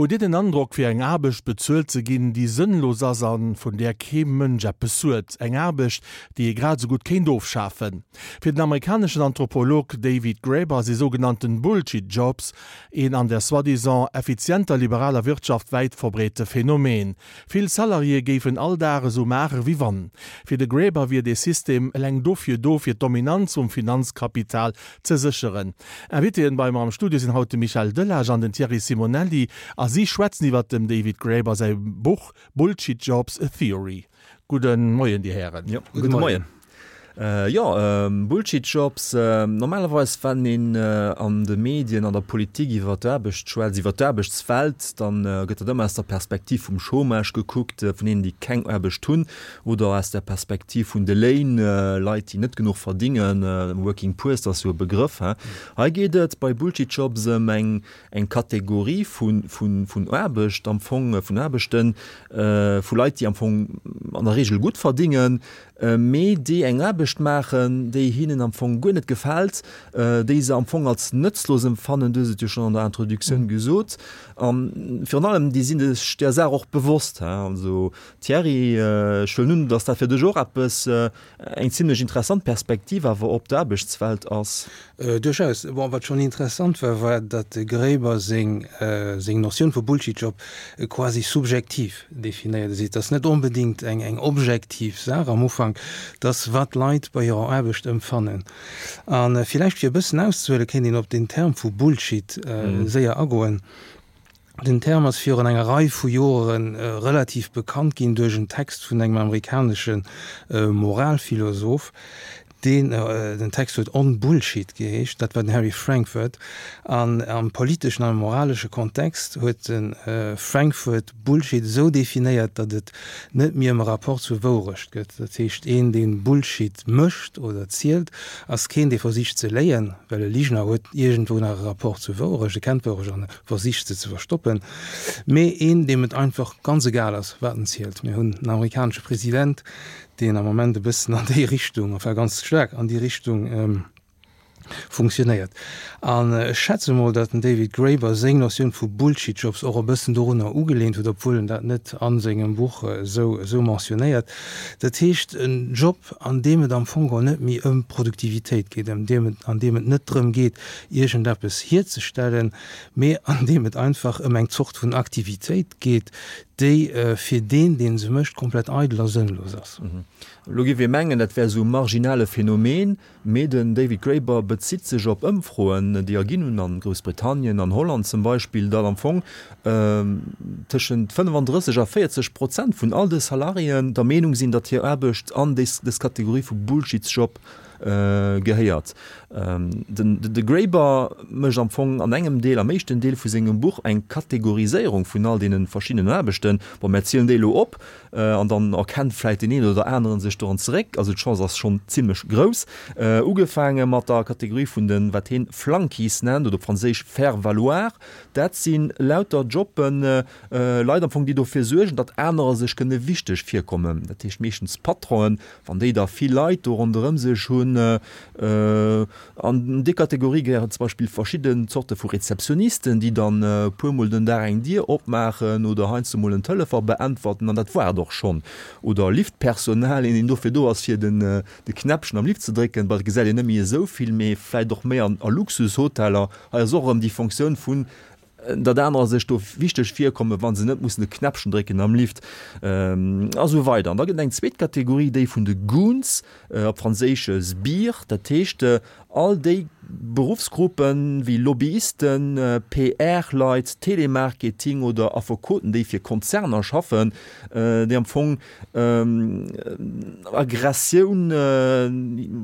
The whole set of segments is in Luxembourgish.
Hutt Dir den Androck, fir eng Aarbecht bezuelt ze ginn, déi sënnlos ass a vun där kee Mënsch eppes huet? Eng Aarbecht, déi ee grad esou gutt kéint ofschafen? Fir den amerikaneschen Anthropolog David Graeber si sougenannten Bullshit Jobs een an der soi-disant effizienter liberaler Wirtschaft wäit verbreete Phänomen. Vill Salariéë géifen all Dag esou maache wéi wann. Fir de Graeber wier dee System eleng dofir do, fir d'Dominanz vum Finanzkapital ze sécheren. Invitéen bei mer am Studio sinn haut de Michel Delage an den Thierry Simonelli a si schwätzen iwwert dem David Graeber säi Buch Bullshit Jobs, A Theory. Gudde Moien, Dir Hären. Jo, gudde Moien. Jo, Bullshit Jobs, normalerweis wann een an de Medien, an der Politik iwwer d'Aarbecht schwätzt, iwwer d'Aarbechtswelt, da gëtt dat ëmmer aus der Perspektiv vum Chômage gekuckt, vun deenen, déi keng Aarbecht hunn, oder aus der Perspektiv vun de Léin, Leit, déi net genuch verdingen, Working Poors, dat ass jo e Begrëff. Hei geet et bei Bullshit Jobs ëm eng eng Kategorie vun Aarbecht am Fong, vun Aarbechten, vu Leit, déi am Fong an der Regel gutt verdingen, mee déi eng Aarbecht maachen, déi hinnen am Fong guer net gefält, déi se am Fong als nëtzlos empfannen, du hues et jo schonn an der Introductioun gesot, a virun allem, déi si sech där Saach och bewosst. Also Thierry, ech huelen un, datt dat fir dech och eppes, eng zimlech interessant Perspektiv awer op d'Aarbechtswelt ass. Duerchaus. Bon, wat schonn interessant war, war, datt de Graeber seng seng Notioun vu Bullshit-Job quasi subjektiv definéiert. E seet, et ass net onbedéngt eng eng objektiv Saach am Ufank, et ass wat d'Leit bei hirer Aarbecht ëmfannen. A villäicht fir e bëssen auszehuelen, kéint een op den Term vu Bullshit séier agoen. Den Term ass virun enger Rei vu Jore relativ bekannt ginn duerch en Text vun engem amerikanesche Moralphilosoph, deen, den Text huet On Bullshit geheescht, dat war den Harry Frankfurt, an am politeschen an am moralesche Kontext huet de Frankfurt Bullshit esou definéiert, datt et net méi ëm e Rapport zur Wourecht gëtt. Dat heescht, een, dee Bullshit mécht oder zielt, ass keen, dee versicht ze léien, well e Ligner huet iergendwou nach e Rapport zur Wourecht, e kennt d'Wourecht an e versicht se ze verstoppen, mee een, deem et einfach ganz egal ass, wat en zielt. Mir hunn en amerikanesche President, deen am Moment e bëssen an déi Richtung, enfin ganz staark an déi Richtung, funktionéiert. An ech schätze mol, datt den David Graeber seng Notioun vu Bullshit-Jobs och e bëssen dorunner ugeleent huet, obwuel en dat net a sengem Buch esou esou mentionnéiert. Dat heescht, en Job, an deem et am Fong geholl net méi ëm Produktivitéit geet, ëm deem et, an deem et net drëm geet, iergendeppes hierzestellen, mee an deem et einfach ëm eng Zort vun Aktivitéit geet, déi fir deen, dee se mécht, komplett eidel a sënnlos ass. Elo géif ee mengen, dat wär esou e marginale Phänomen, Mee den David Graeber bezitt sech op Ëmfroen, déi erginn hunn, a Groussbritannien, an Holland zum Beispill, datt am Fong tëschent 35 a 40 Prozent vun all de Salariéen der Meenung sinn, datt hir Aarbecht an dës Kategorie vu Bullshitsjob gehéiert. Den de Graeber mécht am Fong an engem Deel, am éischten Deel vu sengem Buch, eng Kategoriséierung vun all deene verschiddenen Aarbechten. Bon, mär zielen déi elo op. An dann erkennt vläit deen een oder aneren sech doran zeréck. Also d'Chance ass schonn zimmlech grouss. Ugefaange mat der Kategorie vun den, wat heen Flunkies nennt oder op Franséisch Faire-valoir. Dat si lauter Jobben, Leit am Fong, déi dofir suergen, datt anerer sech kënne wichteg virkommen. Dat heescht meeschtens Patronen, wann déi da vill Leit do ronderëm sech hunn. An déi Kategorie gehéieren zum Beispill verschidden Zorte vu Rezeptionisten, déi dann e puer Mol den Dag eng Dier opmaachen oder heiansdo mol en Telefer beäntwerten, an dat war et och schonn. Oder Liftpersonal, een, deen dofir do ass, fir den de Knäppchen am Lift ze drécken. Bah, dat gesäit een net méi esou vill, mee vläicht och méi an a Luxushoteller. Hei ass och erëm déi Fonctioun vun datt anerer sech do wichteg virkommen, wa se net mussen de Knäppchen drécken am Lift a sou weider. An da gëtt et eng zweet Kategorie, déi vun de Goons, op Franséisch Sbires, dat heescht all déi Beruffsgruppen wéi Lobbyisten, PR-Leit, Telemarketing oder Affekoten, déi fir Konzerner schaffen, déi am Fong Aggressioun,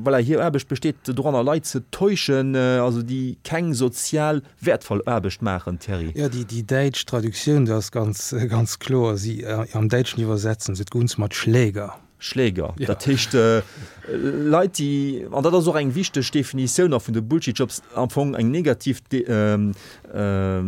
voilà, hir Aarbecht besteet doranner, Leit ze täuschen, also déi keng sozial Wäertvoll Aarbecht maachen, Thierry. Jo, déi, déi däitsch Traduktioun, do ass ganz, ganz kloer, si, am Däitschen iwwersetzen se d'Goons mat Schläger. Schläger. Dat heescht, Leit, déi, an dat ass och eng wichteg Definitioun och vun de Bullshit-Jobs, am Fong eng negativ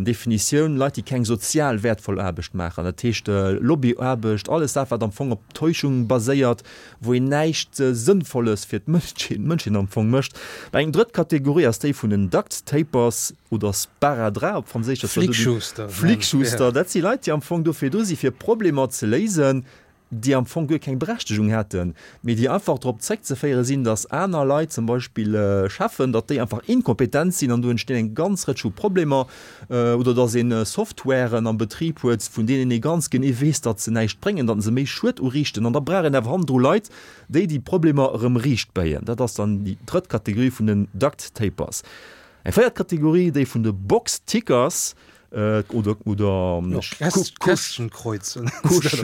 Definitioun, Leit, déi keng sozial wäertvoll Aarbecht maachen. Dat heescht, Lobbyaarbecht, alles dat, wat am Fong op Täuschung baséiert, wou een näischt Sënnvolles fir d'Mënschheet am Fong mécht. Eng drëtt Kategorie ass déi vun den Duct Tapers oder Sparadrap op Franséisch. Flickschuster. Flickschuster, dat si Leit, déi am Fong dofir do si fir Problemer ze léisen, déi am Fong guer keng Berechtegung hätten, mee déi einfach drop zréckzeféiere sinn, datt aner Leit, zum Beispill Cheffen, datt déi einfach inkompetent sinn an do entstinn eng ganz Rëtsch vu Problemer. Oder datt ee Softwaren am Betrib huet, vun deenen ee ganz genee weess, datt se näischt bréngen, datt se méi Schued uriichten. An da brauch een awer hannendru Leit, déi déi Problemer erëm riichtbéien. Dat ass dann déi drëtt Kategorie vun den Duct Tapers. Eng véiert Kategorie, déi vun de Box Tickers, oder oder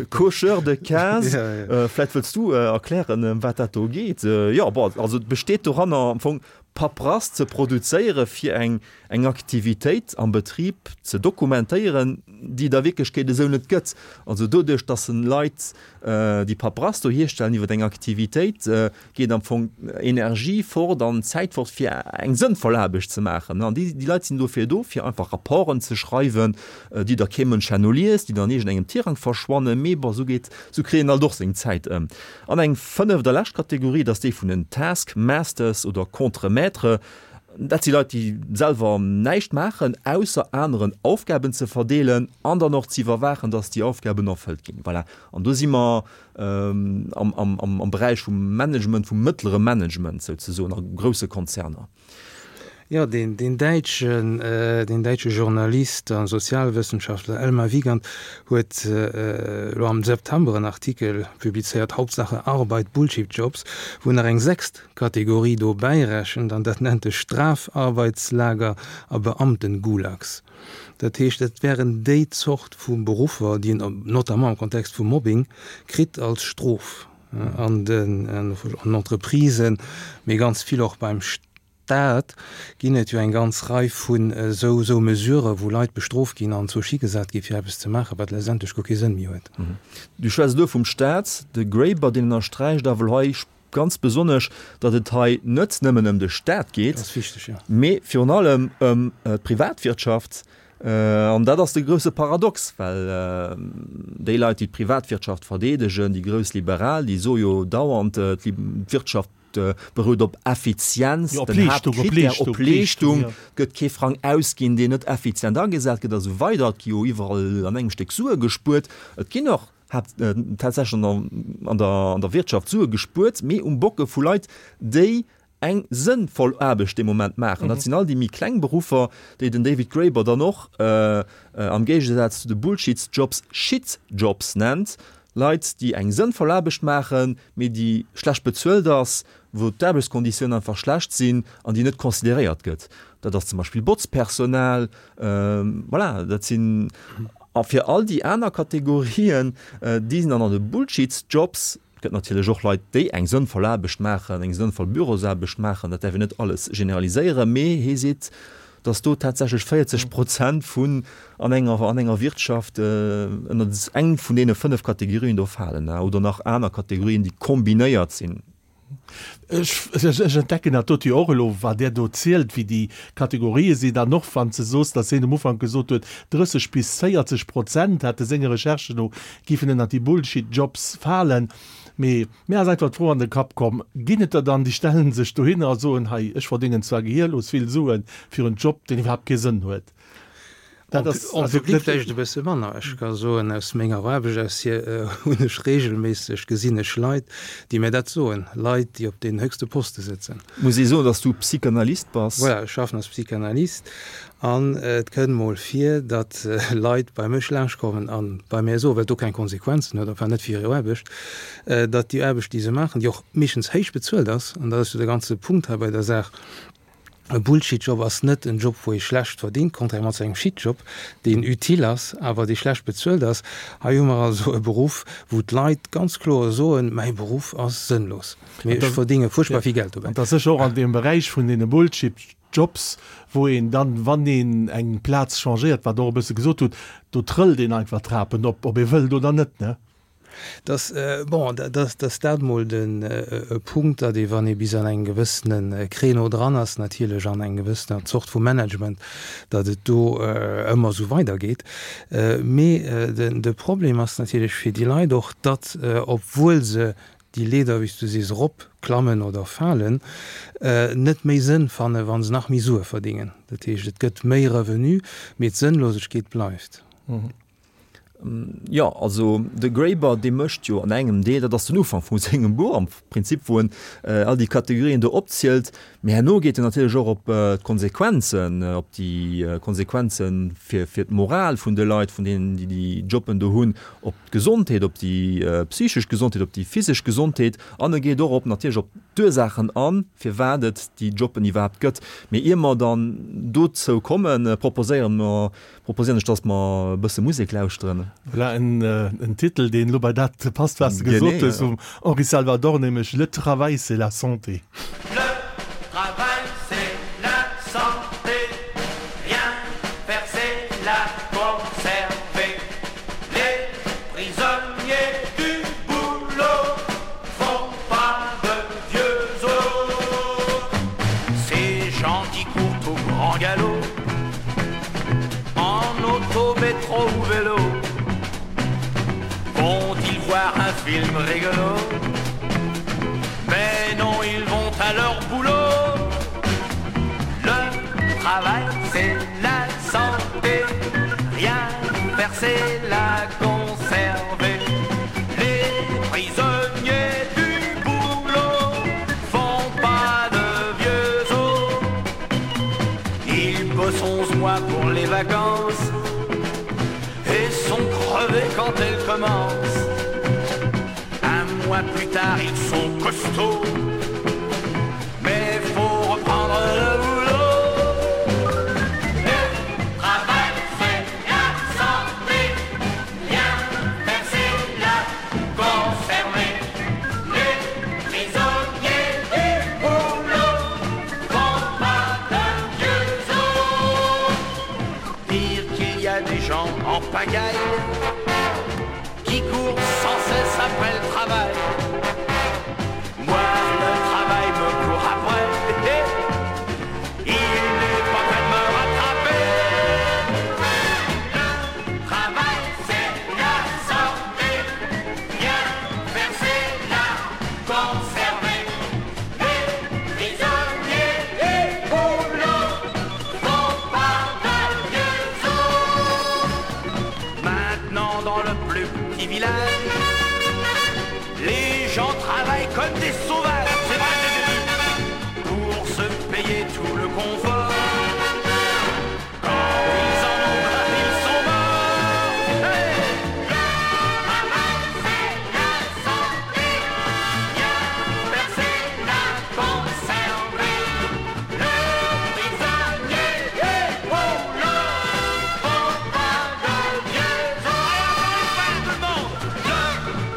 Cocheur de case. Vläit wëlls du erklären, ëm wat dat do geet. Jo, bon, also et besteet doranner am Fong Paperass ze produzéiere fir eng eng Aktivitéit am Betrib ze dokumentéieren, déi et a Wierklechkeet esou net gëtt. Also doduerch, datt en Leit déi Paperass do hierstellen iwwer eng Aktivitéit, geet am Fong Energie fort an Zäit fort, fir eng sënnvoll Aarbecht ze maachen. An déi Leit sinn dofir do, fir einfach Rapporten ze schreiwen, déi da kee Mënsch herno liest, déi dann an iergendengem Tirang verschwannen. Mee bon, esou geet, esou kritt een alt och seng Zäit ëm. An eng fënneft a lescht Kategorie, dat ass déi vun den Taskmasters oder Contremaîtres. Dat si Leit, déi selwer näischt maachen, ausser aneren Aufgaben ze verdeelen an dann och ze iwwerwaachen, dass déi Aufgaben erfëllt ginn. Voilà. An do si mer am Beräich vum Management, vum mëttlere Management souzesoen a grousse Konzerner. Jo, deen däitschen, deen däitsche Journalist a Sozialwëssenschaftler Elmar Wiegand huet elo am September en Artikel publizéiert, Hauptsache Arbeit, Bullshit Jobs, wou nach eng sechst Kategorie do bäirechent, an dat nennt e Strafarbeitslager a Beamtengulags. Dat heescht, et wären déi Zort vu Beruffer, déi een notamment am Kontext vu Mobbing kritt als Strof an den Entreprisen, mee ganz vill och beim Staat ginn et jo eng ganz Rei vun esou esou Mesuren, wou Leit bestrooft ginn an zur Schi gesat gi fir eppes ze maachen, wat letztendlech guer kee Sënn méi huet. Du schwätz elo vum Staat. De Graeber, deen ënnersträicht awer elo hei Ganz besonnesch, datt et hei net nëmmen ëm de Staat geet, mee virun allem ëm d'Privatwirtschaft. An dat ass de grousse Paradox, well déi Leit, déi d'Privatwirtschaft verdeedegen, déi grouss Liberal, déi soe jo dauernd, d'Wirtschaft berout op Effizienz, den Haaptkrittär op Leeschtung, et gëtt kee Frang ausginn, deen net effizient agesat gëtt a sou weider. Et gi jo iwwerall an engem Stéck Sue gespuert. Et ginn och hat tatsächlech an der, an der Wirtschaft Sue gespuert, mee um Bocke vu Leit, déi eng sënnvoll Aarbecht dee Moment maachen. Dat sinn all déi méi kleng Beruffer, déi den David Graeber dann och am Géigesaz zu de Bullshit-Jobs Shit-Jobs nennt, Leit, déi eng sënnvoll Aarbecht maachen, mee déi schlecht bezuelt ass, wou d'Aarbechtskonditiounen einfach schlecht sinn an déi net consideréiert gëtt. Dat ass zum Beispill Botzpersonal, voilà, dat sinn. A fir all déi aner Kategorien, déi sinn dann an de Bullshit-Jobs. Et gëtt natierlech och Leit, déi eng sënnvoll Aarbecht maachen, eng sënnvoll Bürosaarbecht maachen. Dat däerf een net alles generaliséieren, mee hie seet, datt do tatsächlech 40 Prozent vun an enger an enger Wirtschaft ënner eng vun deene 5 Kategorien do falen, oder nach aner Kategorien, déi kombinéiert sinn. Ech, ech entdecken dat dote jo och elo, wat Der do zielt, wéi déi Kategorië sinn. An och wann s de soos, datt hien um Ufank gesot huet, 30 bis 40 Prozent hätte senge Recherchen no géifen ënnert déi Bullshit-Jobs falen. Mee mir ass einfach d'Fro an de Kapp komm, Ginn et der dann, déi stelle sech dohinner a soen, hei, ech verdéngen zwar gehierlos vill Suen fir en Job, deen iwwerhaapt kee Sënn huet? Dat ass En public vläicht e bësse manner. Ech ka soen, aus menger Aarbecht aus hier hunn ech reegelméisseg, gesinn ech Leit, déi mir dat soen, Leit, déi op deenen héchste Poste sëtzen. Muss ee soen, datt s du Psychanalyst bass? Voilà, ech schaffen als Psychanalyst an et kënnt mol vir, datt Leit bei mech laanschtkommen a bei mir soen, well et do keng Konsequenzen huet, enfin net fir hir Aarbecht, datt déi Aarbecht, déi se maachen, déi och meeschtens héich bezuelt ass, an dat ass jo de ganze Punkt hei bei der Saach, E Bullshit-Job ass net en Job, wou ee schlecht verdingt, contrairement zu engem Shit-Job, deen utile ass, awer dee schlecht bezuelt ass. Hei hu mer also e Beruff, wou d'Leit ganz kloer soen, Mäi Beruff ass sënnlos, mee ech verdinge fuerchtbar vill Geld dobäi. An et ass sécher och an deem Beräich vun deene Bullshit-Jobs, wou een dann, wann een eng Plaz changéiert, wat Der och e bësse gesot hutt, do trëllt een einfach d'Trapen op, ob ee wëllt oder net, ne? Dass, bon, dass, dass dat mol de Punkt, datt ee, wann ee bis an engem gewëssene Créneau dran ass, natierlech an eng gewëssener Zort vu Management, datt et do ëmmer esou weidergeet. Mee de Problem ass natierlech fir déi Leit och, datt, obwuel se déi Leeder, wéi s du sees, erop klammen oder falen, net méi Sënn fannen, wa se nach méi Sue verdingen. Dat heescht, et gëtt méi Revenu, mee d'Sënnlosegkeet bleift. Jo, also de Graeber, dee mécht jo an engem Deel, dat ass den Ufank vu sengem Buch am Prinzip, wou en all déi Kategorien do opzielt, mee herno geet en natierlech och op d'Konsequenzen, op déi Konsequenze fir fir d'Moral vun de Leit, vun deenen, déi déi Jobben do hunn, op d'Gesondheet, op déi psychesch Gesondheet, op déi physesch Gesondheet an e geet och op natierlech op d'Ursaachen an, firwat et déi Jobben iwwerhaapt gëtt. Mee ier mer dann dozou kommen, proposéiere mer, proposéieren ech, dass mer e bësse Musek lauschteren. Voilà, en Titel, deen elo bei dat passt, wat s de gesot hues, vum Henri Salvador, nämlech Le travail, c'est la santé. Le travail, c'est la santé, rien faire, c'est la conserver. Les prisonniers du boulot font pas de vieux os. Ces gens qui courent au grand galop, en auto, métro ou vélo, vont-ils voir un film rigolo? Mais non, ils vont à leur boulot. Le travail, c'est la santé. Rien faire, c'est la conserver. Les prisonniers du boulot font pas de vieux os. Ils bossent 11 mois pour les vacances et sont crevés quand elles commencent. Un mois plus tard, ils sont costauds. Mais faut reprendre le boulot. Le travail, c'est la santé. Rien faire, c'est la conserver. Les prisonniers du boulot font pas de vieux os. Dire qu'il y a des gens en pagaille qui courent sans cesse après le travail. Moi, le travail me court après. Il n'est pas près de me rattraper. Le travail, c'est la santé. Bien faire, c'est la conserver. Les prisonniers du boulot font pas de vieux os. Maintenant, dans le plus petit village, les gens travaillent comme des sauvages, c'est vrai, j'ai vu, pour se payer tout le confort. Quand ils en ont marre, ils sont morts. Hey Le travail, c'est la santé. Bien faire, c'est la conserver. Le prisonnier du boulot faut pas de vieux os. Allez, encore une fois, tout le monde. Le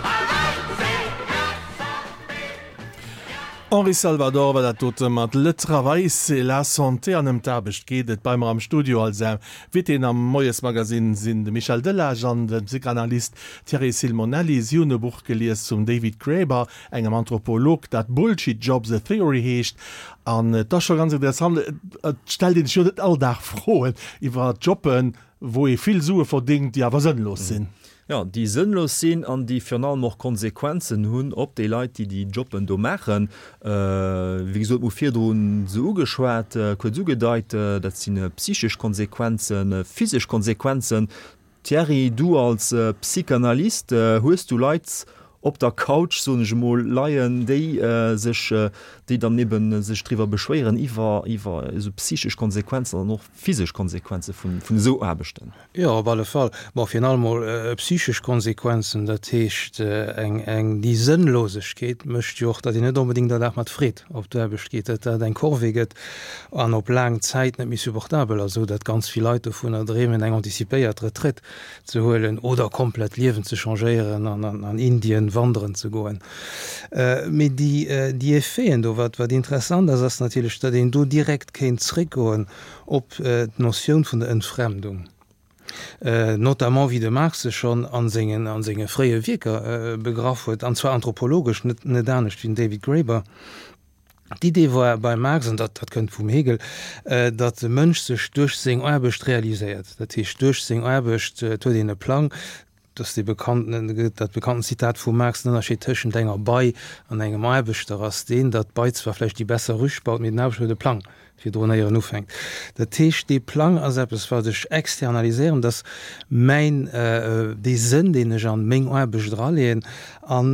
travail, c'est la santé. Henri Salvador war dat dote mat Le travail, c'est la santé an ëm d'Aarbecht geet et bei mer am Studio. Als Invitéen am Moiesmagazine sinn de Michel Delage an de Psychanalyst Thierry Silmonelli. Si hunn e Buch gelies zum David Graeber, engem Anthropolog, dat Bullshit Jobs, a Theory heescht. An et ass scho ganz interessant, et stellt ee sech jo net all Dag Froen iwwer Jobben, wou ee vill Sue verdéngt, déi awer sënnlos sinn. Jo, déi sënnlos sinn an déi virun allem och Konsequenzen hunn op déi Leit, déi déi Jobben do maachen. Wéi gesot, mir hu virdru se ugeschwat, kuerz ugedeit, dat si psychesch Konsequenzen, physesch Konsequenzen. Thierry, du als Psychanalyst, hues du Leit op der Couch, soen ech emol, leien, déi sech, déi dann eben sech driwwer beschwéieren, iwwer, iwwer esou psychesch Konsequenzen an och physesch Konsequenze vun, vun esou Aarbechten? Jo, op alle Fall. Bon, virun allem mol psychesch Konsequenzen, dat heescht eng, eng, déi Sënnlosegkeet mécht jo och, datt een net onbedéngt all Dag mat Freed op d'Aarbecht geet, datt dat eng Corvée gëtt an op laang Zäit net méi supportabel ass, esou datt ganz vill Leit dovunner dreemen, eng anticipéiert Retraite ze huelen oder komplett d'Liewen ze changéieren an an Indien wanderen ze goen. Mee déi déi Effeten do, wat wat interessant ass, ass natierlech, datt een do direkt kéint zréckgoen op d'Notioun vun der Entfremdung. Notamment wéi de Marx se schonn a sengen, a senge fréie Wierker begraff huet, an zwar anthropologesch, net, net anescht wéi den David Graeber. D'Idee war beim Marx, an dat, dat kënnt vum Hegel, datt de Mënsch sech duerch seng Aarbecht realiséiert. Dat heescht, duerch seng Aarbecht, et huet een e Plang, dat ass dee bekannten, dat bekannten Zitat vum Marx, den Ënnerscheed tëschent enger Bei an engem Aarbechter ass deen, datt d'Bei zwar vläicht déi besser Rüch baut, mee den Aarbechter huet e Plang. virdrun éier en ufänkt. Dat heescht, dee Plang ass eppes, wat ech externaliséieren, dass mäin, dee Sënn, deen ech an meng Aarbecht eraleeën, an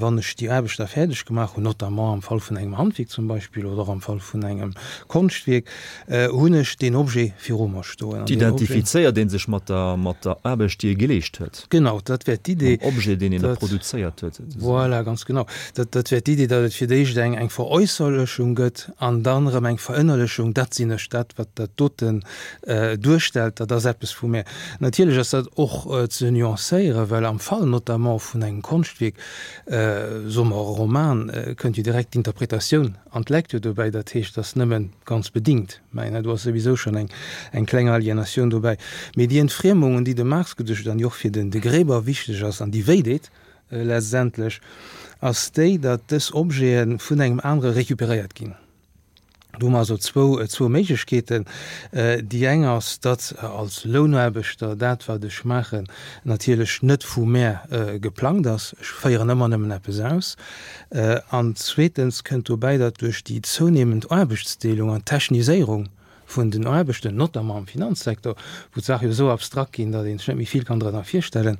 wann ech déi Aarbecht da fäerdeg gemaach hunn, notamment am Fall vun engem Handwierk zum Beispill oder och am Fall vun engem Konschtwierk, hunn ech deen Objet viru mer stoen. Identifizéiert ee sech mat der, mat der Aarbecht, déi e geleescht huet. Genau, dat wär d'Idee. Mam Objet, deen een da produzéiert huet. Voilà, ganz genau. Dat, dat wär d'Idee, datt et fir d'éischt eng, eng Veräusserlechung gëtt an dann erëm eng Verënnerlechung. Dat sinn ech, dat, wat dat doten duerstellt, dat ass eppes vu mär. Natierlech ass dat och ze nuancéieren, well am Fall notamment vun engem Konschtwierk, soe mer e Roman, kënnt jo direkt d'Interpretatioun an d'Lecture dobäi. Dat heescht, et ass nëmme ganz bedingt Mäin, do ass souwisou schonn eng, eng kleng Alienatioun dobäi. Mee déi Entfriemung, un déi de Marx geduecht huet an déi och fir den de Graeber wichteg ass an déi wéideet letztendlech, ass déi, datt dës Objete vun engem anere récupéréiert ginn. Do hu mer also zwou, zwou Méiglechkeeten. Déi eng ass, datt als Lounaarbechter dat, wat ech maachen, natierlech net vu mär geplangt ass. Ech féieren ëmmer nëmmen eppes aus. An zweetens kënnt dobäi, datt duerch déi zounehmend Aarbechtsdeelung an d'Techniséierung vun den Aarbechten, notamment am Finanzsektor, wou d'Saache jo esou abstrakt ginn, datt ee sech net méi vill kann drënner virstellen,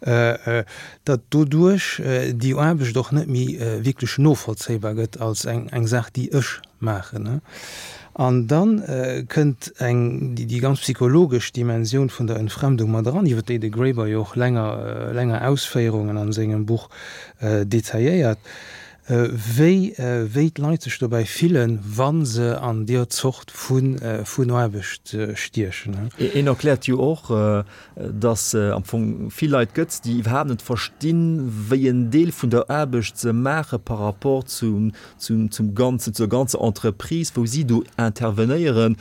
datt doduerch déi Aarbecht och net méi wierklech novollzéibar gëtt als eng Saach, déi ech maachen. An da kënnt eng, déi ganz psychologesch Dimensioun vun der Entfremdung mat eran, iwwer déi de Graeber jo och länger, länger Ausféierungen a sengem Buch detailléiert, wéi, wéi d'Leit sech dobäi fillen, wa se an deer Zort vun, vun Aarbecht stiechen. Een erkläert jo och, dass am Fong vill Leit gëtt, déi iwwerhaapt net verstinn, wéi en Deel vun der Aarbecht se maache par rapport zum, zum, zum ganzen, zur ganzer Entreprise, wou si do intervenéieren.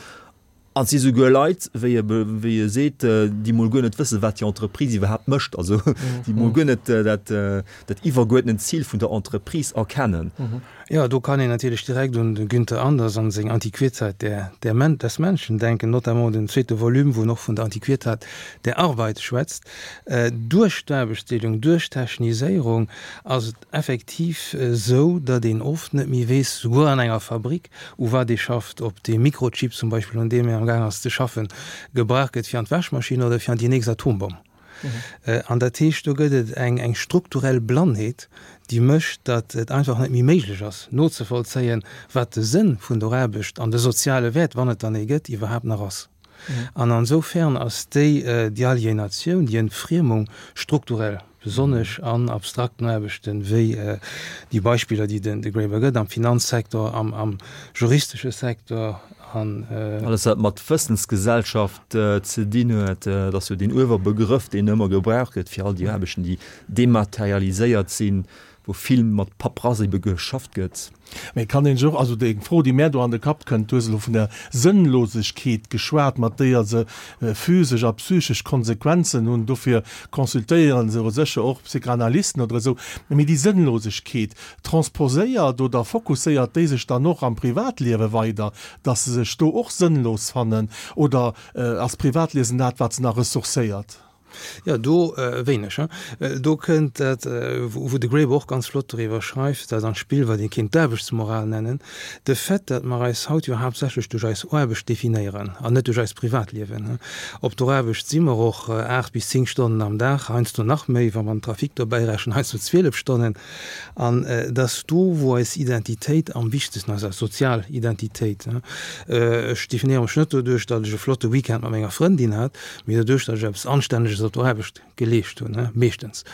An et si souguer Leit, wéi e, wéi e seet, déi mol guer net wëssen, wat déi Entreprise iwwerhaapt mécht, also déi mol guer net dat, dat iwwergeuerdnent Zil vun der Entreprise erkennen. Jo, do kann een natierlech direkt un de Günther Anders an seng Antiquiertheit der, der Men, des Menschen denken, notamment den zweete Volume, wou en och vun der Antiquiertheit der Arbeit schwätzt. Duerch d'Aarbechtsdeelung, duerch d'Techniséierung ass et effektiv esou, datt een oft net méi weess, souguer an enger Fabrik, u wat ee schafft, ob dee Mikrochip zum Beispill, un deem een amgaang ass ze schaffen, gebraucht gëtt fir an d'Wäschmaschinn oder fir an déi nächst Atombomm. An dat heescht, do gëtt et eng eng strukturell Blannheet, déi mécht, datt et einfach net méi méiglech ass, nozevollzéien, wat de Sënn vun der Aarbecht an de soziale Wäert, wann et dann ee gëtt, iwwerhaapt nach ass. An ansoufern ass déi déi Aliénatioun, déi Entfriemung strukturell, besonnesch an abstrakten Aarbechten, wéi déi Beispiller, déi den de Graeber gëtt, am Finanzsektor, am am juristesche Sektor an. Alles wat mat Wëssensgesellschaft ze dinn huet, dat ass jo deen Uewerbegrëff, deen ëmmer gebraucht gëtt fir all déi Aarbechten, déi dematerialiséiert sinn, wou vill mat Paperass ebe geschafft gëtt. Mee kann een sech och, also déi Fro, déi mär do an de Kapp kënnt, du hues elo vun der Sënnlosegkeet geschwat, mat déier se physesch a psychesch Konsequenzen hunn, dofir consultéieren se sécher och Psychanalysten oder esou, mee déi Sënnlosegkeet, transposéiert oder fokusséiert déi sech dann och am Privatliewe weider, datt se sech do och sënnlos fannen, oder ass d'Privatliesen dat, wat se nach ressourcéiert? Jo, do wéineg. Do kënnt dat, wou de Graeber och ganz flott doriwwer schreift, dat an d'Spill, wat ee kéint d'Aarbechtsmoral nennen. De Fait, datt mer eis haut jo haaptsächlech duerch eis Aarbecht definéieren an net duerch eist Privatliewen. Op der Aarbecht si mer och 8 bis 10 Stonnen am Dag, heiansdo nach méi, wa mer den Trafic dobäi rechnen, heiansdo 12 Stonnen. An et ass do, wou eis Identitéit am wichtegsten ass, eis sozial Identitéit. Ech definéiere mech net doduerch, datt ech e flotte Weekend mat menger Frëndin hat, mee doduerch, datt ech eppes Anstänneges op der Aarbecht geleescht hunn, meeschtens.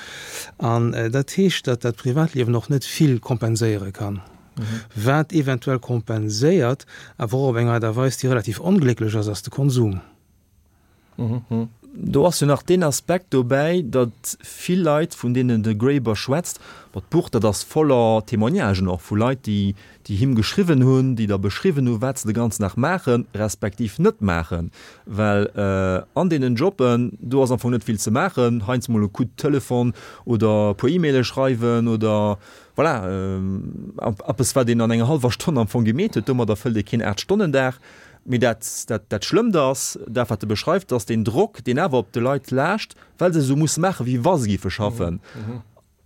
An dat heescht, datt dat Privatliewen och net vill kompenséiere kann. Wat eventuell kompenséiert, awer och op eng Aart a Weis, déi relativ onglécklech ass, ass de Konsum. Do ass jo nach deen Aspekt dobäi, datt vill Leit, vun deenen de Graeber schwätzt, ma d'Buch, dat ass voller Témoignagen och vu Leit, déi, déi him geschriwwen hunn, déi da beschriwwen hunn, wat se de ganzen Dag maachen, respektiv net maachen. Well an deenen Jobben, do ass am Fong net vill ze maachen, heiansdo mol e Coup de téléphone oder e puer E-Maile schreiwen oder voilà, eppes, wat een an enger hallwer Stonn am Fong gemeet huet. Domadder fëllt ee keen Aacht-Stonnen-Dag. Mee dat, dat, dat Schlëmmt ass, dat wat e beschreift, ass deen Drock, deen awer op de Leit laascht, well se esou musse maachen, wéi wa se géife schaffen.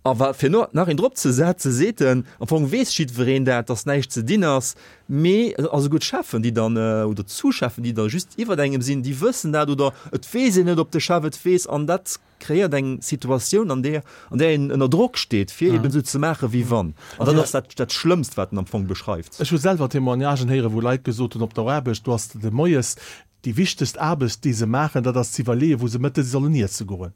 A wa fir no nach een drop ze setzen, seet en, am Fong weess jiddwereen dat, dass näischt ze dinn ass, mee a souguer d'Cheffen, déi dann, oder d'Sous-Cheffen, déi da just iwwert engem sinn, déi wëssen dat oder et weess een net, ob de Chef et weess. An dat kreéiert eng Situatioun, an där, an där een ënner Drock steet, fir eben esou ze maachen, wéi wann. An dat ass dat, dat Schlëmmst, wat en am Fong beschreift. Ech hu selwer Témoignagen héieren, wou Leit gesot hunn, op der Aarbecht, do ass de moies déi wichtegst Aarbecht, déi se maachen, dat ass ze iwwerleeën, wou se mëttes sollen iesse goen.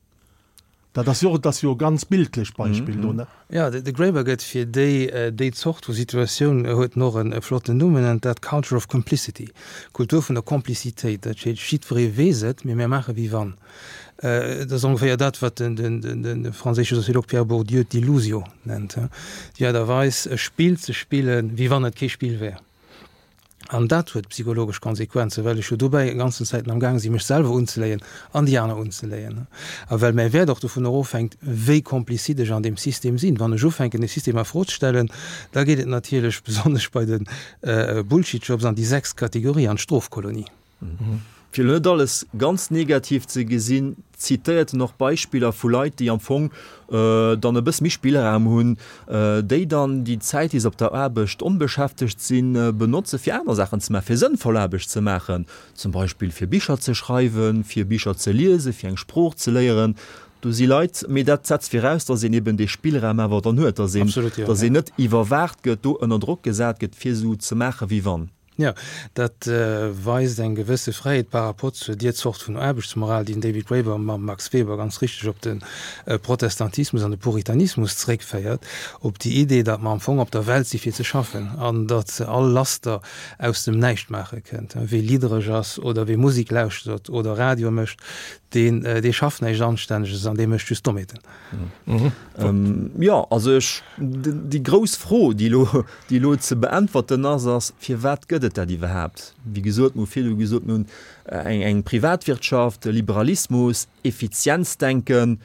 Dat ass jo, dat ass jo e ganz bildlecht Beispill do, ne? Jo, de Graeber gëtt fir déi, déi Zort vu Situatioun huet en och e flotten Numm, en nennt dat Culture of Complicity, Kultur vun der Complicitéit. Dat heescht, jiddweree weess et, mee mär maache wéi wann. Et ass ongeféier dat, wat de franséische Soziolog Pierre Bourdieu d'Illusio nennt, déi Aart a Weis, e Spill ze spillen, wéi wann et kee Spill wär. An dat huet psychologesch Konsequenzen, well ech jo dobäi ganzen Zäiten am gaang sinn, mech selwer unzeléien an déi aner unzeléien. A well mäi Wäert och dovunner ofhänkt, wéi complicite ech an deem System sinn. Wann ech ufänken, de System a Fro ze stellen, da geet et natierlech, besonnesch bei de Bullshit-Jobs, an déi sechst Kategorie, an d'Strofkolonie. Fir elo net alles ganz negativ ze gesinn, zitéiert en och Beispiller vu Leit, déi am Fong dann e bësse méi Spillraum hunn, déi dann déi Zäit, déi se op der Aarbecht onbeschäftegt sinn, benotze fir aner Saachen ze maachen, fir sënnvoll Aarbecht ze maachen, zum Beispill fir Bicher ze schreiwen, fir Bicher ze liesen, fir eng Sprooch ze léieren. Do si Leit, mee dat setzt viraus, datt een eben dee Spillraum awer dann huet, datt een, datt een net iwwerwaacht gëtt, do ënner Drock gesat gëtt, fir esou ze maachen, wéi wann. Jo, dat weist eng gewësse Fräiheet par rapport zu dier Zort vun Aarbechtsmoral, déi den David Graeber mam Max Weber ganz richteg op de Protestantismus an de Puritanismus zréckféiert, op déi Idee, datt mer am Fong op der Welt si fir ze schaffen an datt all Laster aus dem Näischtmaache kënnt. Wie liddereg ass oder wie Musek lauschtert oder Radio mécht, deen, dee schafft näischt Anstänneges an dee mécht just Dommheeten. Jo, also ech, déi grouss Fro, déi elo, déi elo ze beäntwerten ass, ass, Firwat gëtt et dat iwwerhaapt? Wéi gesot, mir hu virdu gesot, mir hunn eng, eng Privatwirtschaft, e Liberalismus, Effizienzdenken.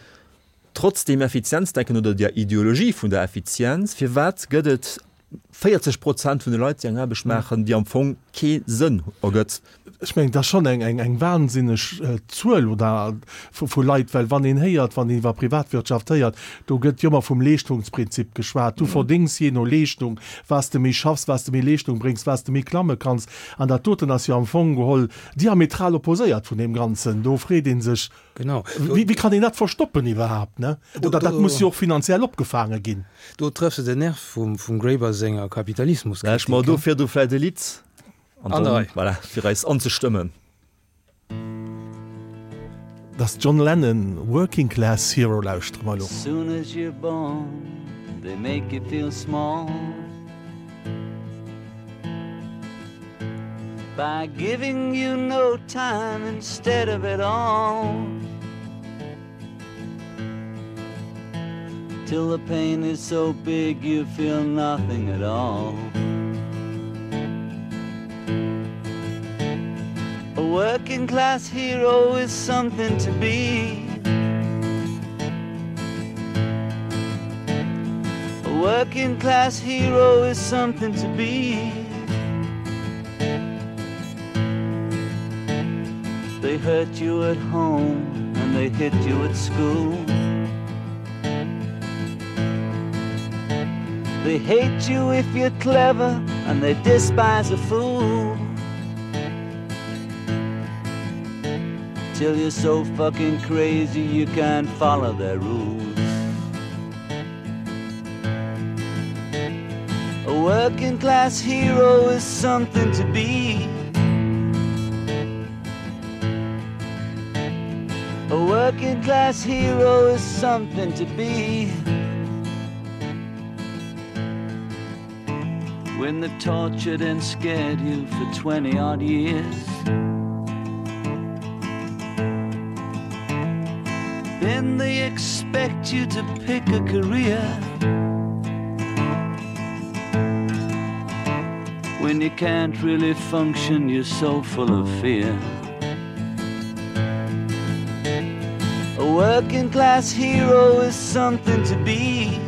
Trotz deem Effizienzdenken oder der Ideologie vun der Effizienz, firwat gëtt et 40 Prozent vun de Leit, déi eng Aarbecht maachen, déi am Fong kee Sënn ergëtt. Ech mengen, et ass schonn eng wahnsinneg Zuel oder vu Leit, well wann een héiert, wann een iwwer Privatwirtschaft héiert, do gëtt jo ëmmer vum Leeschtungsprinzip geschwat. Du verdéngs jee no Leeschtung, wat s de méi schaffs, wat s de méi Leeschtung bréngs, wat s de méi klamme kanns. An dat doten ass jo am Fong geholl diametral opposéiert vun deem Ganzen. Do freet ee sech, Genau. Wéi, wéi kann een dat verstoppen iwwerhaapt, ne? Oder dat muss jo och finanziell opgefaange ginn. Do trëffs de den Nerv vum, vum Graeber senger Kapitalismuskritik. Läscht mer do virdu vläit e Lidd an An der Rei. Voilà, fir eis anzestëmmen. Dat ass John Lennon, Working Class Hero lauschtere mer elo. Soon as you're born, they make you feel small By giving you no time instead of it all Till the pain is so big you feel nothing at all A working class hero is something to be A working class hero is something to be They hurt you at home and they hit you at school. They hate you if you're clever and they despise a fool. Till you're so fucking crazy you can't follow their rules. A working class hero is something to be. A working class hero is something to be. When they've tortured and scared you for 20 odd years. Then they expect you to pick a career. When you can't really function, you're so full of fear. A working class hero is something to be.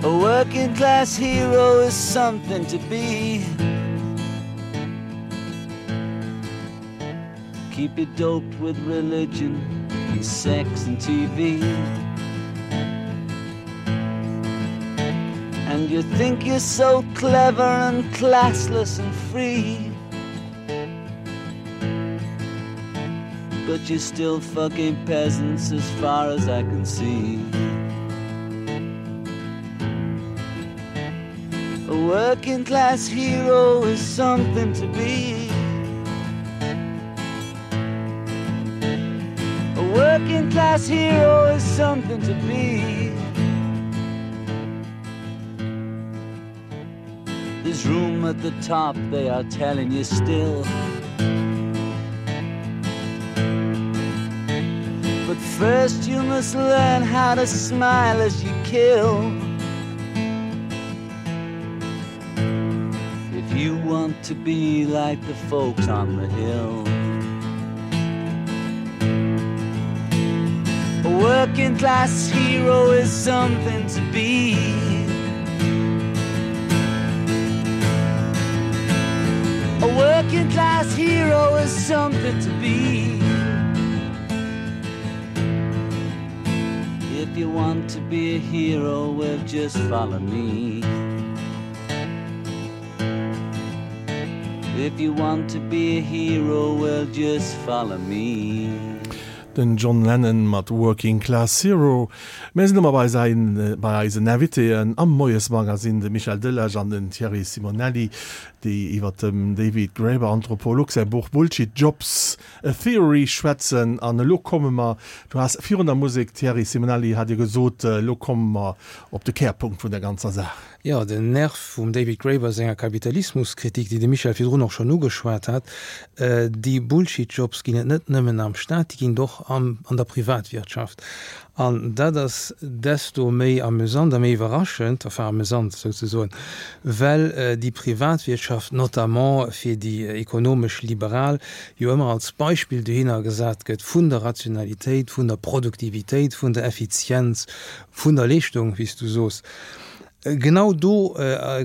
A working class hero is something to be. Keep you doped with religion and sex and TV. And you think you're so clever and classless and free. But you're still fucking peasants as far as I can see. A working class hero is something to be. A working class hero is something to be. There's room at the top, they are telling you still. But first you must learn how to smile as you kill. If you want to be like the folks on the hill. A working class hero is something to be. A working class hero is something to be. If you want to be a hero, well just follow me. If you want to be a hero, well just follow me. Den John Lennon mat Working Class Hero. Mär sinn ëmmer bei säin, bei eisen Invitéen am Moiesmagazin, de Michel Delage an den Thierry Simonelli, déi iwwer dem David Graeber, Anthropolog, säi Buch Bullshit Jobs, A Theory schwätzen. An elo komme mer, du has virun der Musek, Thierry Simonelli, hat Dir gesot, elo komme mer op de Kärpunkt vun der ganzer Saach. Jo, den Nerv vum David Graeber senger Kapitalismuskritik, déi de Michel virdrun och schonn ugeschwat hat, déi Bullshit-Jobs ginn et net nëmmen am Staat, déi ginn et och an der Privatwirtschaft. An dat ass desto méi amüsant a méi iwwerraschend, enfin amüsant souzesoen, well déi Privatwirtschaft notamment fir déi ekonomesch Liberal jo ëmmer als Beispill dohinner gesat gëtt vun der Rationalitéit, vun der Produktivitéit, vun der Effizienz, vun der Leeschtung, wéi s du sos. Genau do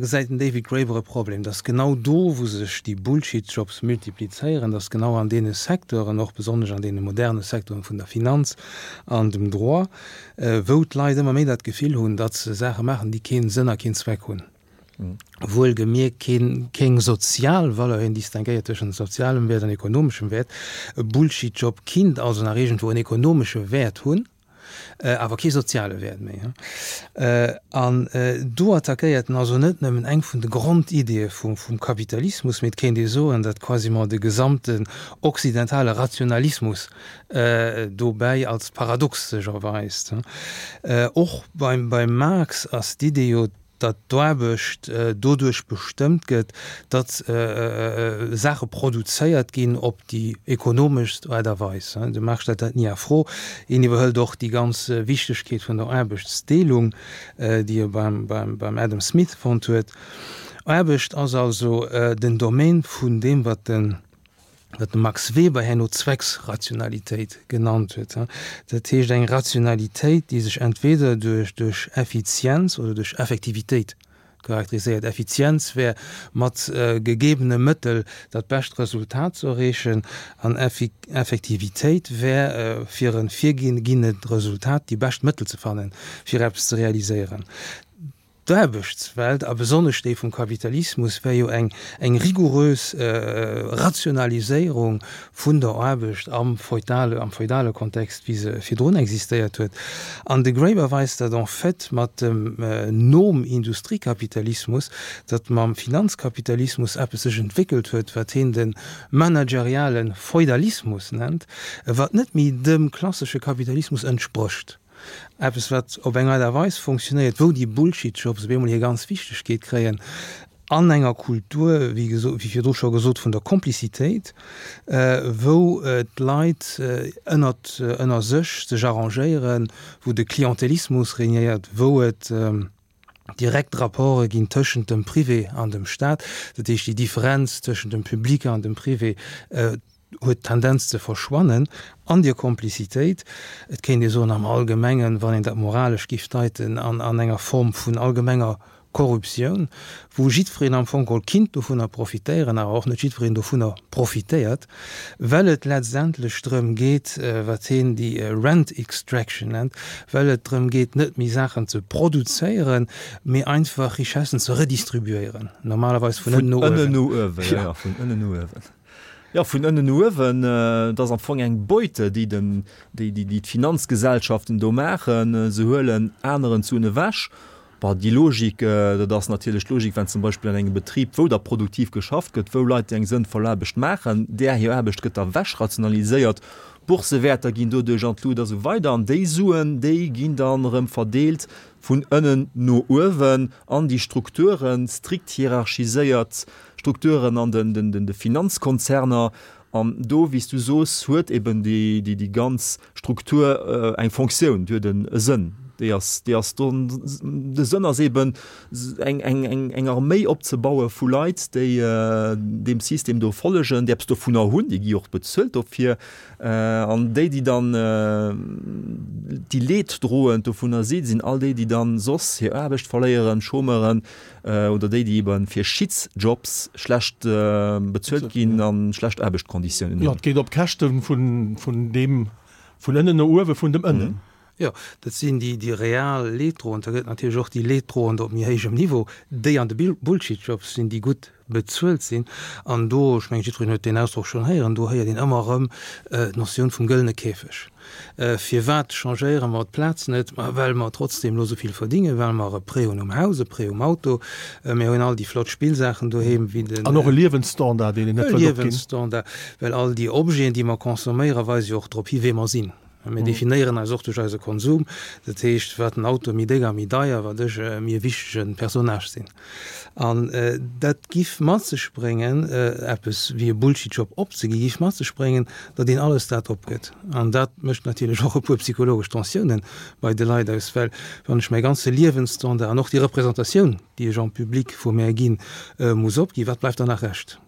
gesäit den David Graeber e Problem, dass genau do, wou sech déi Bullshit-Jobs multiplizéieren, dass genau an deene Secteuren, och besonnesch an deene moderne Secteuren vun der Finanz an dem Droit, wou d'Leit ëmmer méi dat Gefill hunn, datt se Saache maachen, déi kee Sënn a keen Zweck hunn, wuelgemierkt keng sozial Valeur, hien distinguéiert tëschent sozialem Wäert an ekonomeschem Wäert, e Bullshit-Job kinnt also nach iergendwou en ekonomesche Wäert hunn, awer kee soziale Wäert méi. An do attackéiert en also net nëmmen eng vun de Grondideeë vum Kapitalismus, mee et kéint ee soen, datt quasiment de gesamten occidentale Rationalismus dobäi als paradox sech erweist. Och beim Marx ass d'Idee jo, datt d'Aarbecht doduerch bestëmmt gëtt, datt Saache produzéiert ginn op déi ekonomeschst Aart a Weis. De Marx stellt dat ni a Fro. Hien iwwerhëlt och déi ganz Wichtegkeet vun der Aarbechtsdeelung, déi e beim Adam Smith fonnt huet. Aarbecht ass also den Domaine vun deem, wat de wat de Max Weber herno Zwecksrationalitéit genannt huet, dat heescht eng Rationalitéit, déi sech entweder duerch duerch Effizienz oder duerch Effektivitéit charakteriséiert. Effizienz wär mat gegebene Mëttel dat bescht Resultat ze erreechen an Effektivitéit wär fir e virginnt Resultat déi bescht Mëttel ze fannen, fir eppes ze realiséieren. D'Aarbechtswelt, a besonnesch déi vum Kapitalismus, wär jo eng eng rigourös Rationaliséierung vun der Aarbecht am feudale, am feudale Kontext, wéi se virdrun existéiert huet. An de Graeber weist dat en fait mat dem nom Industriekapitalismus, datt mam Finanzkapitalismus eppes sech entwéckelt huet, wat hien de manageriale Feudalismus nennt, wat net méi dem klassesche Kapitalismus entsprécht. Eppes, wat op eng Aart a Weis fonctionnéiert, wou déi Bullshit-Jobs op eemol hir ganz Wichtegkeet kréien. An enger Kultur, wéi gesot, wéi virdru scho gesot, vun der Komplizitéit, wou d'Leit ënnert ënner sech sech arrangéieren, wou de Clientelismus regnéiert, wou et direkt Rapporte ginn tëschent dem Privé an dem Staat, dat heescht déi Differenz tëschent dem Public an dem Privé huet d'Tendenz ze verschwannen an dir Komplizitéit, et kéint ee soen am Allgemengen, wann een dat moralesch giff deiten, an enger Form vun allgemenger Korruptioun, wou jiddwereen am Fong geholl kinnt dovunner profitéieren, awer och net jiddwereen dovunner profitéiert, well et letztendlech drëm geet, wat heen déi Rent extraction nennt, well et drëm geet, net méi Saachen ze produzéieren, mee einfach Richessen ze redistribuéieren, normalerweis vun ënnen no uewen. Vun ënnen no uewen, jo, vun ënnen no uewen. Jo, vun ënnen no uewen, et ass am Fong eng Beute, déi den, déi, déi, déi d'Finanzgesellschaften do maachen. Se huelen aneren d'Suen ewech. Bon, déi Logik, dat ass natierlech d'Logik, wann zum Beispill an engem Betrib, wou da produktiv geschafft gëtt, wou Leit, déi eng sënnvoll Aarbecht maachen, där hir Aarbecht gëtt da wechrationaliséiert, d'Boursewäerter ginn doduerch an d'Lut a sou weider. An déi Suen, déi ginn dann erëm verdeelt vun ënnen no uewen an déi Strukturen, strikt hierarchiséiert Strukturen an de Finanzkonzerner. An do, wéi s du soos, huet eben déi ganz Struktur eng Fonctioun, déi huet e Sënn. Déi ass, déi ass do, de Sënn ass eben, eng, eng, eng, eng Arméi opzebaue vu Leit, déi deem System do follegen, déi eppes dovunner hunn, déi gi och bezuelt dofir. An déi, déi dann déi Leeddroend dovunner sinn, sinn all déi, déi dann soss hir Aarbecht verléieren, Chômeuren, Oder déi, déi ebe fir Shitsjobs schlecht bezuelt ginn a schlecht Aarbechtskonditiounen hunn. Jo, et geet op Käschte vun deem vun ënnen no uewe vun dem ënnen. Jo, dat sinn déi, déi real Leeddroend. Da gëtt et natierlech och déi Leeddroend op méi héijem Niveau, déi an de Bullshitjobs sinn, déi gutt bezuelt sinn. An do, ech mengen, jiddwereen huet deen Ausdrock schonn héieren, do héiert een ëmmer erëm d'Notioun vum gëllene Käfeg. Firwat changéiere mer d'Plaz net? Ma well mer trotzdem elo esou vill verdingen, well mer e Prêt hunn um Haus, e Prêt um Auto, mir hunn all déi flott Spillsaachen doheem, wéi den. An och e Liewensstandard, deen een net wëllt opginn. E Liewensstandard, well all déi Objeten, déi mer consomméieren, weise jo och drop hi, wie mer sinn. Mir definéieren eis och duerch eise Konsum. Dat heescht, wat den Auto méi déck a méi deier, wat ech e méi e wichtege Personnage sinn. An dat giff mat sech bréngen, eppes wéi e Bullshit-Job opzeginn, giff mat sech bréngen, datt een alles dat opgëtt. An dat mécht natierlech och e puer psychologesch Tensiounen bei de Leit aus, well wann ech mäi ganze Liewensstandard an och déi Representatioun, déi ech en public vu mär ginn, muss opginn, wat bleift dann nach Rescht?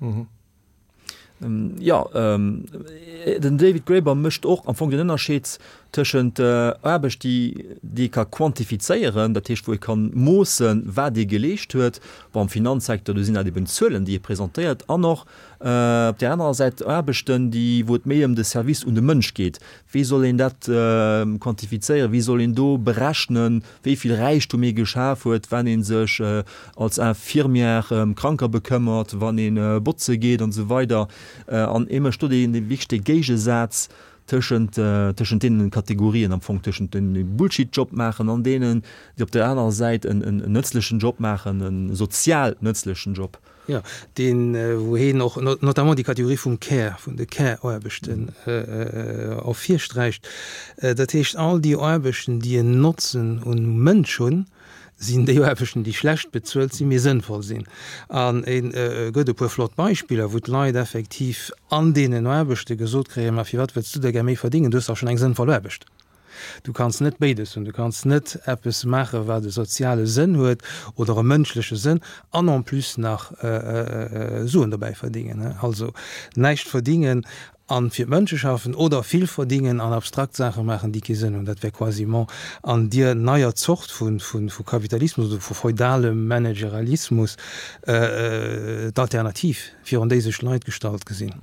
Jo, den David Graeber mécht och am Fong den Ënnerscheed tëschent Aarbecht, déi déi ee ka quantifizéieren, dat heescht wou ee kann moossen, wat ee geleescht huet, bon am Finanzsecteur do sinn dat eben Zuelen, déi ee presentéiert, an och op där anerer Säit Aarbechten, déi wou et méi ëm de Service un de Mënsch geet. Wéi soll een dat quantifizéieren, wéi soll een do berechnen, wéi vill Räichtum ee geschaf huet, wann ee sech als Infirmière ëm Kranker bekëmmert, wann ee botze geet an esou weider. An ee mécht do dee wierklech dee Géigesaz tëschent, tëschent deenen Kategorien am Fong, tëschent deenen, déi Bullshit-Job maachen an deenen, déi op der anerer Säit en nëtzlechen Job maachen, e sozial nëtzlechen Job. Jo, deen, wou heen och notamment déi Kategorie vum Care, vun de Care-Aarbechten ervirsträicht. Dat heescht, all déi Aarbechten, déi en Notzen um Mënsch hunn, sinn déi Aarbechten, déi schlecht bezuelt sinn, mee sënnvoll sinn. An e gëtt e puer flott Beispiller, wou d'Leit effektiv an deenen Aarbechte gesot kréien, Ma firwat wëlls du da gär méi verdéngen, du hues dach schonn eng sënnvoll Aarbecht. Du kanns net béides hunn. Du kanns net eppes maachen, wat e soziale Sënn huet oder e mënschleche Sënn an en plus nach Suen dobäi verdingen. Also näischt verdingen a fir d'Mënsche schaffen oder vill verdingen an abstrakt Saache maachen, déi kee Sënn hunn. Dat wär quasiment an dier neier Zort vu Kapitalismus oder vu feudalem Managerialismus d'Alternativ, virun déi sech d'Leit gestallt gesinn.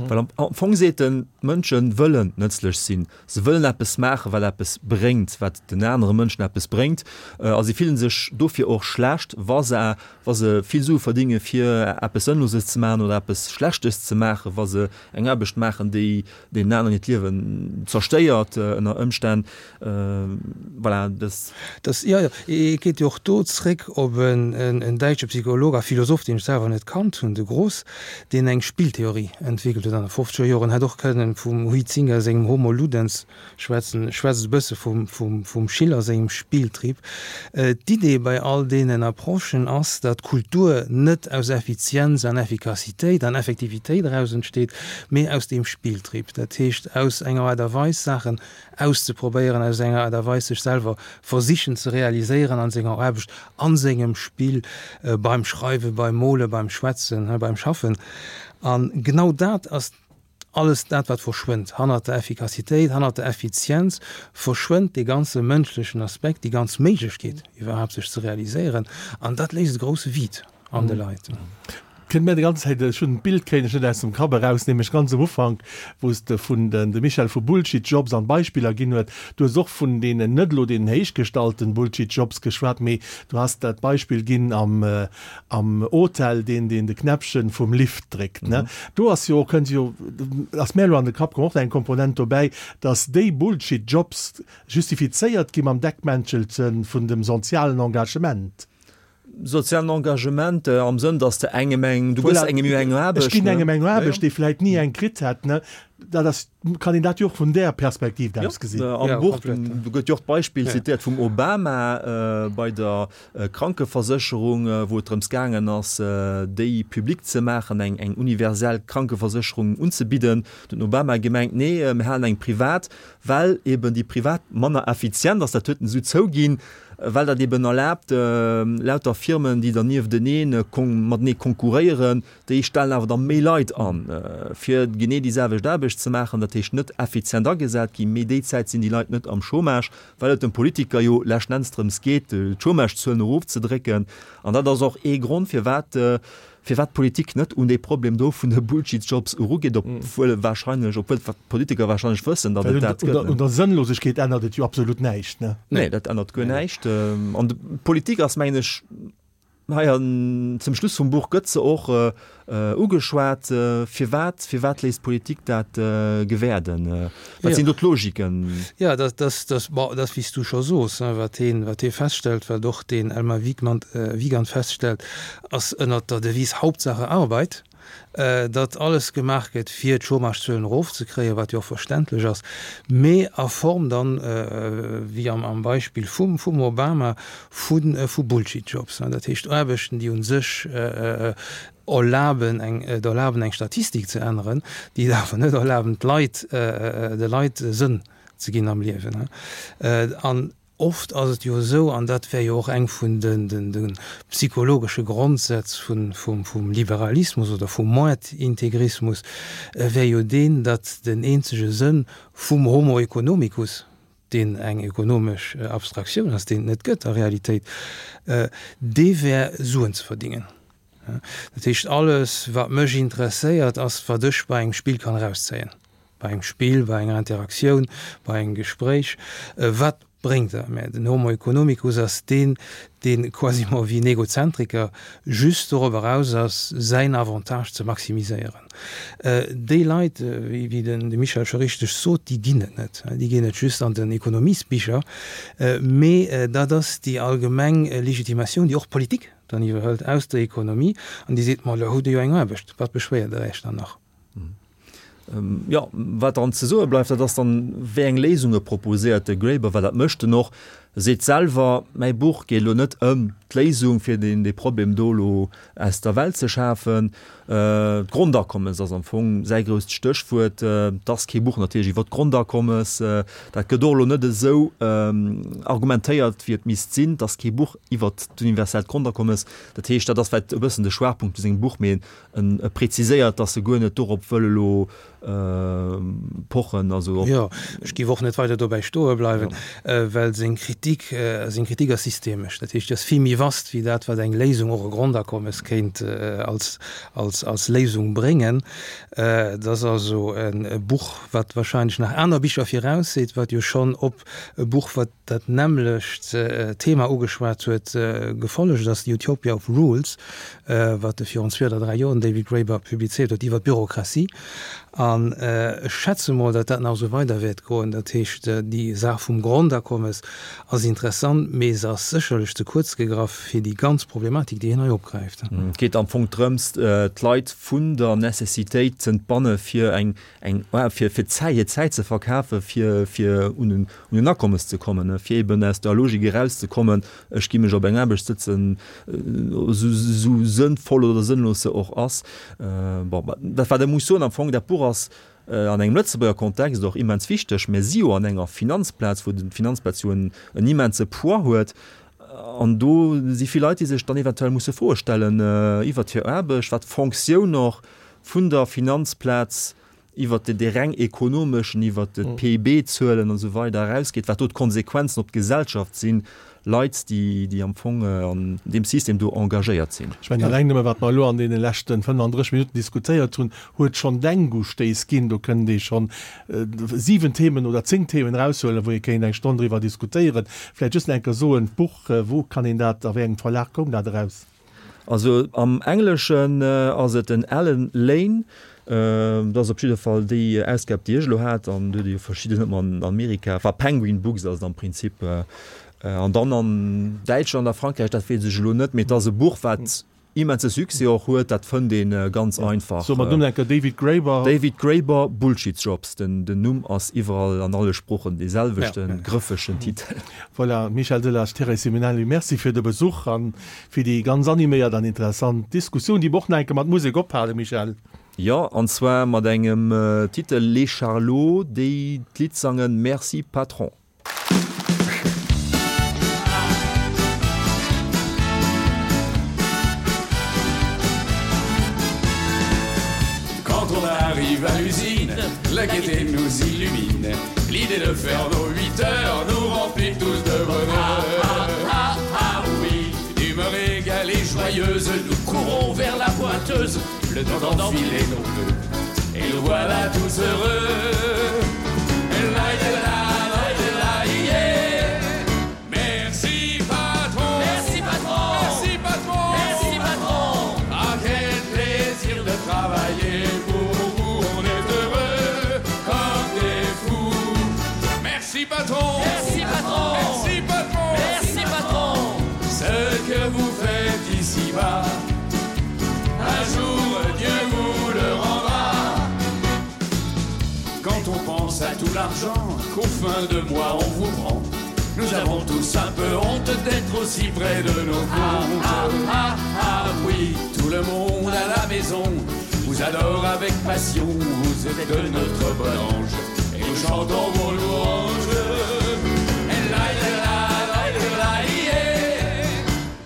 Well am Fong seet en, d'Mënsche wëllen nëtzlech sinn. Se wëllen eppes maachen, wat eppes bréngt, wat den anere Mënschen eppes bréngt. A si fillen sech dofir och schlecht, wa se, wa se vill Sue verdéngen, fir eppes Sënnloses ze maachen oder eppes Schlechtes ze maachen, wa se eng Aarbecht maachen, déi deenen aneren hiert Liewen zerstéiert ënner Ëmstänn. Voilà, dat. Dat, jo, jo, et geet jo och do zréck op en däitsche Psycholog a Philosoph, deen ech selwer net kannt hunn, de Gross, deen eng Spilltheorie entwéckelt. entwéckelt huet an de fofzeger Joren, hätt och kënnen vum Huizinga sengem Homo Ludens schwätzen, schwätzt e bësse vum, vum, vum Schiller sengem Spieltrieb. D'Idee bei all deenen Approchen ass, datt Kultur net aus Effizienz an Effikassitéit an Effektivitéit eraus entsteet, mee aus deem Spieltrieb, dat heescht aus enger Aart a Weis Saachen auszeprobéieren, aus enger Aart a Weis sech selwer versichen ze realiséieren an senger Aarbecht, an sengem Spill, beim Schreiwen, beim Molen, beim Schwätzen, beim Schaffen. A genau dat ass alles dat, wat verschwënnt. Hannert der Effikassitéit, hannert der Effizienz verschwënnt dee ganze mënschlechen Aspekt, déi ganz Méiglechkeet iwwerhaapt sech ze realiséieren. An dat léisst e grousse Vide an de Leit. Kënnt mär déi ganz Zäit, ech hunn d'Bild kréien ech net aus dem Kapp eraus, nämlech ganz um Ufank, wou s de vun den, de Michel vu Bullshit Jobs an Beispiller ginn huet. Du hues och vun deenen, net elo deenen héichgestallten Bullshit Jobs geschwat, mee du has dat Beispill ginn am, am Hotel, deen, deen de Knäppchen vum Lift dréckt, ne. Do ass jo, kënnt jo, ass mär elo an de Kapp komm, och nach eng Komponent dobäi, dass déi Bullshit Jobs justifizéiert gi mam Deckmäntelche vun dem sozialen Engagement. Sozialen Engagement am Sënn, dass de engem eng, du gëss engem jo eng Aarbecht. Ech ginn engem eng Aarbecht, dee vläit ni eng kritt hätt, ne? Dat ass, kann een dat jo och vun där Perspektiv aus gesinn. Jo, am Buch, do gëtt jo och d'Beispill zitéiert vum Obama bei der Krankeversécherung, wou et drëms gaangen ass, déi public ze maachen, eng, eng universell Krankeversécherung unzebidden. Do huet den Obama gemengt, nee, mir halen eng privat, well eben déi privat manner effizient ass. Dat huet en esou zouginn. Well dat eben erlaabt, lauter Firmen, déi dann nieftenee matenee konkurréieren, déi stellen awer da méi Leit an, fir genee déi selwecht Aarbecht ze maachen, dat heescht net effizient agesat ginn, mee déi Zäit sinn déi Leit net am Chômage, well et dem Politiker jo leschten Enns drëms geet, d'Chômagezuelen erofzedrécken. An dat ass och ee Grond, firwat firwat d'Politik net un dee Problem do vun de Bullshit-Jobs erugeet, obwuel wahrscheinlech, obwuel d'Politiker wahrscheinlech wëssen, datt et dat gëtt. Un der Sënnlosegkeet ännert et jo absolut näischt, ne? Nee, dat ännert guer näischt. An d'Politik ass, mengen ech, hei an zum Schluss vum Buch gëtt se och ugeschwat. Firwat, firwat léisst d'Politik dat gewäerden? Wat sinn do d'Logiken? Jo, dat ass, dat, bon, dat ass wéi s du scho soos, wat heen, wat hee feststellt, wat och deen Elmar Wiegmann, Wiegand feststellt, ass ënnert der Devise Hauptsache Arbeit, datt alles gemaach gëtt, fir d'Chômagezuelen erofzekréien, wat jo och verständlech ass, mee a Form dann, wéi am, am Beispill vum, vum Obama, vu, vu Bullshit-Jobs, dat heescht Aarbechten, déi u sech erlaben eng, et erlaben eng Statistik ze änneren, déi et awer net erlaben d'Leit, de Leit Sënn ze ginn am Liewen. An oft ass et jo esou, an dat wär jo och eng vun de, de psychologesche Grondsätz vun, vum, vum Liberalismus oder vum Moartintegrismus, wär jo deen, datt den eenzege Sënn vum Homo economicus, deen eng ökonomesch Abstraktioun ass, deen et net gëtt a Realitéit, dee wär Suen ze verdingen. Dat heescht, alles wat mech interesséiert, ass wat ech bei engem Spill kann erauszéien, bei engem Spill, bei enger Interaktioun, bei engem Gespréich. Wat bréngt dat mär? Den Homo economicus ass deen, dee quasiment wéi en Egozentriker just dorop eraus ass, säin Avantage ze maximiséieren. Déi Leit, wéi de Michel scho richteg sot, déi ginn et net. Déi ginn et just an den Ekonomiesbicher. Mee dat ass déi allgemeng Legitimatioun, déi och d'Politik dann iwwerhëlt aus der Ekonomie an déi seet, ma elo hutt Der jo eng Aarbecht, wat beschwéiert Der Iech dann nach? Jo, wat dann ze soe bleift, dat ass dann, wéi eng Léisunge proposéiert de Graeber, well dat mécht en och. E seet selwer, Mäi Buch geet elo net ëm d'Léisung, fir deen dee Problem do elo aus der Welt ze schafen. D'Grondakommes ass am Fong säi grousst Stéchwuert. Et ass kee Buch natierlech iwwer d'Grondakommes. Dat gëtt och elo net esou argumentéiert, wéi et misst sinn. Et ass kee Buch iwwer d'universellt Grondakommes. Dat heescht, dat ass vläicht e bëssen de Schwaachpunkt vu sengem Buch, mee en preziséiert, datt e guer net dorop wëll elo pochen. Also op. Jo, ech géif och net weider dobäi stoe bleiwen, well seng Kritik, seng Kritik ass systemesch. Dat heescht, déi ass vill méi vast wéi dat, wat eng Léisung, och e Grondakommes kéint als, als, als Léisung bréngen. Et ass also e Buch, wat wahrscheinlech nach aner Bicher virausseet, wat jo schonn op e Buch, wat dat nämmlecht Thema ugeschwat huet, gefollegt ass, The Utopia of Rules, wat e virun zwee oder dräi Joer den David Graeber publizéiert huet iwwer d'Bürokratie. An ech schätze mol, datt dat nach esou weider wäert goen. Dat heescht, déi Saach vum Grondakommes. ass interessant, mee se ass sécherlech ze kuerz gegraff fir déi ganz Problematik, déi hien hei opgräift. Et geet am Fong drëms, d'Leit vun der Necessitéit z'entbanne fir eng, eng, fir, fir Zäit, hir Zäit ze verkafen, fir, fir un en, un en Akommes ze kommen, fir eben aus der Logik erauszekommen, ech gi mech op eng Aarbecht sëtzen, esou sënnvoll oder sënnlos se och ass. Bon, dat wat ee muss soen, am Fong, dat Buch ass an engem Lëtzebuerger Kontext och immens wichteg. Mir si jo an enger Finanzplaz, wou d'Finanzplaz jo en immense Poids huet. An do si vill Leit, déi sech dann eventuell musse Froe stellen iwwert hir Aarbecht, wat d'Fonctioun och vun der Finanzplaz iwwert de reng ekonomeschen, iwwert de PIB-Zuelen an esou weider erausgeet, wat do d'Konsequenzen op d'Gesellschaft sinn, Leit, déi, déi am Fong an deem System do engagéiert sinn. Ech mengen, eleng nëmme wat mer elo an deene leschte 35 Minutten diskutéiert hunn, huet schonn Denkustéiss ginn. Do kënnt ee schonn 7 Themen oder 10 Themen eraushuelen, wou ee kéint eng Stonn driwwer diskutéieren. Vläicht just nach eng Kéier soen, d'Buch, wou kann een dat, a wéi engem Verlag koum dat eraus? Also am Engleschen ass et den Allen Lane. Dat ass op jidde Fall déi Ausgab, déi ech elo hat. An do huet ee jo verschidden, net an Amerika, enfin Penguin Books ass et am Prinzip. An dann an Däitschland a Frankräich, dat weess ech elo net. Mee et ass e Buch, wat immense Succès och huet. Dat fënnt ee ganz einfach. Soe mer dunn eng Kéier David Graeber. David Graeber, Bullshit Jobs. Den Numm ass iwwerall an alle Sproochen dee selwechten, grëffegen Titel. Voilà, Michel Delage, Thérèse Simonelli, Merci fir de Besuch an fir déi ganz animéiert an interessant Diskussioun, déi mer och nach eng Kéier mat Musek ophalen, Michel. Jo, an zwar mat engem Titel, Les Charlots, déi d'Lidd sangen Merci Patron. Quand on arrive à l'usine, la gaieté nous illumine. L'idée de faire nos 8 heures nous remplit tous de bonheur. Ah, ah, ah, ah oui, d'humeur égale et joyeuse, nous courons vers la pointeuse, le temps d'enfiler nos pneus. Et nous voilà tous heureux. La, la, la, yeah. Merci patron. Merci patron. Merci patron. Merci patron. Ah quel plaisir de travailler pour vous. On est heureux comme des fous. Merci patron. Merci patron. Merci patron. Merci patron. Ce que vous faites ici-bas, un jour Dieu vous le rendra. Quand on pense à tout l'argent qu'au fin de mois on vous prend, nous avons tous un peu honte d'être aussi près de nos comptes. Ah, ah, ah, ah, oui, tout le monde à la maison vous adore avec passion, vous êtes de notre bon ange et nous chantons vos louanges.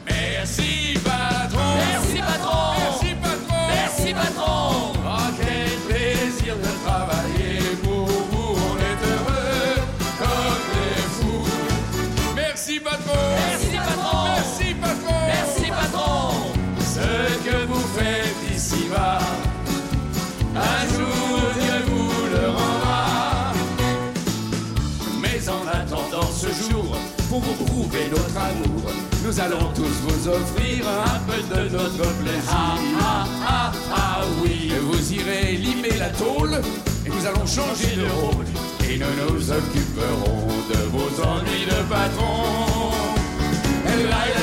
Merci patron Merci patron Merci patron Merci patron Ah quel plaisir de travailler pour vous On est heureux comme des fous Merci patron Merci patron Merci patron Merci patron Ce que vous faites ici-bas Un jour Dieu vous le rendra Mais en attendant ce jour Pour vous prouver notre amour Nous allons tous vous offrir un peu de notre plaisir Ah, ah, ah, ah oui Vous irez limer la tôle Et nous allons changer de rôle Et nous nous occuperons de vos ennuis de patron La, la.